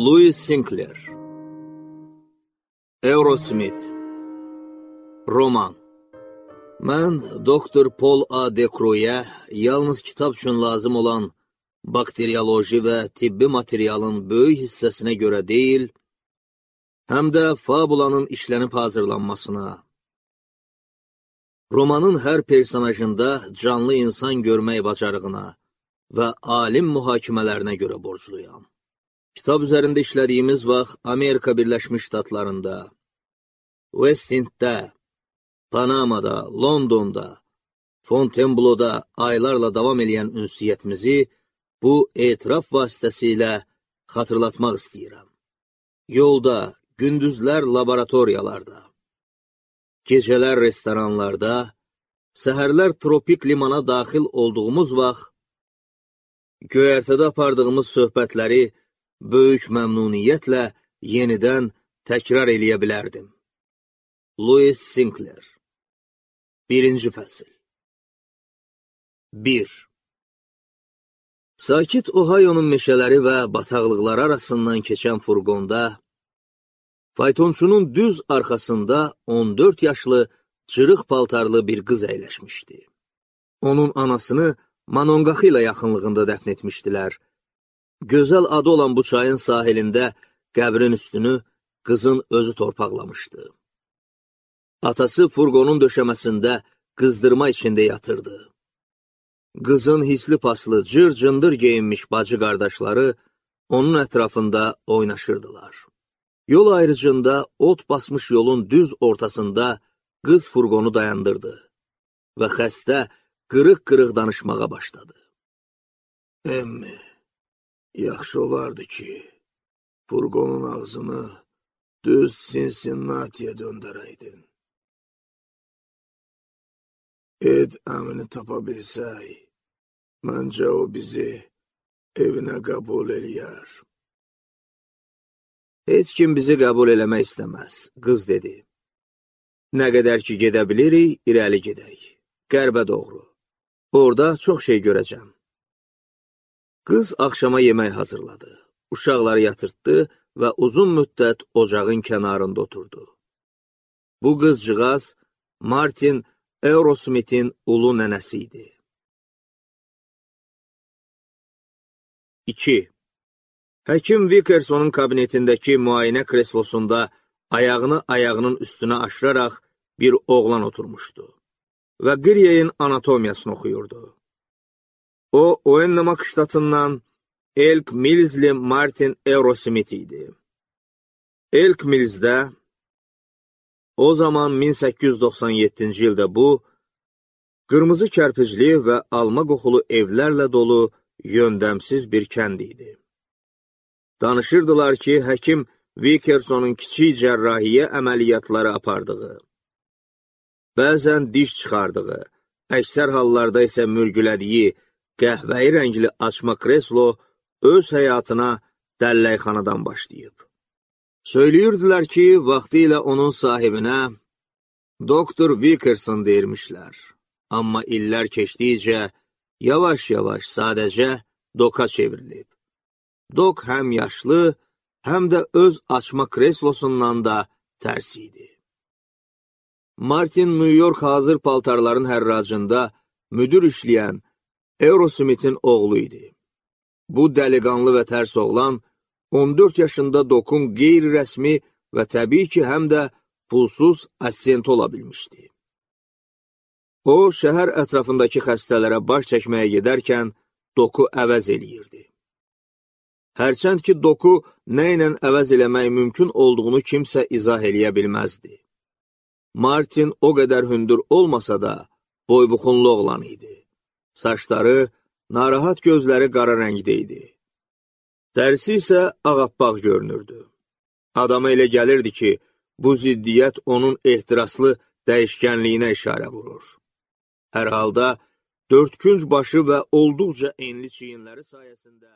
Louis Sinclair Aerosmith Roman Mən Dr. Paul A. Decroix'ə yalnız kitab üçün lazım olan bakteriyoloji və tibbi materialın böyük hissəsinə görə deyil, həm də fabulanın işlənib hazırlanmasına, romanın hər personajında canlı insan görmək bacarığına və alim mühakimələrinə görə borcluyam. Kitab üzərində işlədiyimiz vaxt Amerika Birləşmiş Ştatlarında, West Enddə, Panamada, Londonda, Fontainebleau'da aylarla davam edən ünsiyyətimizi bu etiraf vasitəsilə xatırlatmaq istəyirəm. Yolda, gündüzlər laboratoriyalarda, gecələr restoranlarda, səhərlər tropik limana daxil olduğumuz vaxt, göyərtədə apardığımız söhbətləri böyük məmnuniyyətlə yenidən təkrar eləyə bilərdim. Louis Sinclair 1-ci fəsil 1. Sakit Ohio'nun meşələri və bataqlıqları arasından keçən furqonda, faytonçunun düz arxasında 14 yaşlı, cırıq paltarlı bir qız əyləşmişdi. Onun anasını Monongaxı ilə yaxınlığında dəfn etmişdilər. Gözəl adı olan bu çayın sahilində qəbrin üstünü qızın özü torpaqlamışdı. Atası furqonun döşəməsində qızdırma içində yatırdı. Qızın hisli paslı, cır-cındır geyinmiş bacı qardaşları onun ətrafında oynaşırdılar. Yol ayrıcında ot basmış yolun düz ortasında qız furqonu dayandırdı və xəstə qırıq-qırıq danışmağa başladı. Emmi, yaxşı olardı ki, furqonun ağzını düz Cincinnati'yə döndərəydin. Ed əmini tapa bilsək, məncə o bizi evinə qəbul eləyər. Heç kim bizi qəbul eləmək istəməz, qız dedi. Nə qədər ki gedə bilirik, irəli gedək. Qərbə doğru. Orada çox şey görəcəm. Qız axşama yemək hazırladı. Uşaqları yatırtdı və uzun müddət ocağın kənarında oturdu. Bu qızcığaz Martin Aerosmith'in ulu nənəsi idi. 2. Həkim Vickersonun kabinetindəki müayinə kreslosunda ayağını ayağının üstünə aşıraraq bir oğlan oturmuşdu və Qiryeyin anatomiyasını oxuyurdu. O, Oennamak ştatından Elk Millsli Martin Aerosmith idi. Elk Millsdə o zaman 1897-ci ildə bu, qırmızı kərpicli və alma qoxulu evlərlə dolu yöndəmsiz bir kənd idi. Danışırdılar ki, həkim Vickersonun kiçik cərrahiyyə əməliyyatları apardığı, bəzən diş çıxardığı, əksər hallarda isə mürgülədiyi qəhvəyi rəngli açma kreslo öz həyatına dəlləkxanadan başlayıb. Söyləyirdilər ki, vaxtı ilə onun sahibinə Dr. Vickerson deyirmişlər. Amma illər keçdikcə yavaş-yavaş sadəcə Dok'a çevrilib. Dok həm yaşlı, həm də öz açma kreslosundan da tərs idi. Martin New York hazır paltarların hərracında müdür işləyən Aerosmith'in oğlu idi. Bu dəliqanlı və tərs oğlan 14 yaşında Dok'un qeyri-rəsmi və təbii ki, həm də pulsuz assistenti ola bilmişdi. O, şəhər ətrafındakı xəstələrə baş çəkməyə gedərkən Dok'u əvəz eləyirdi. Hərçənd ki, Dok'u nə ilə əvəz eləmək mümkün olduğunu kimsə izah eləyə bilməzdi. Martin o qədər hündür olmasa da boybuxunlu oğlan idi. Saçları, narahat gözləri qara rəngdə idi. Dərsi isə ağappaq görünürdü. Adama elə gəlirdi ki, bu ziddiyyət onun ehtiraslı dəyişkənliyinə işarə vurur. Hər halda, dördkünc başı və olduqca enli çiyinləri sayəsində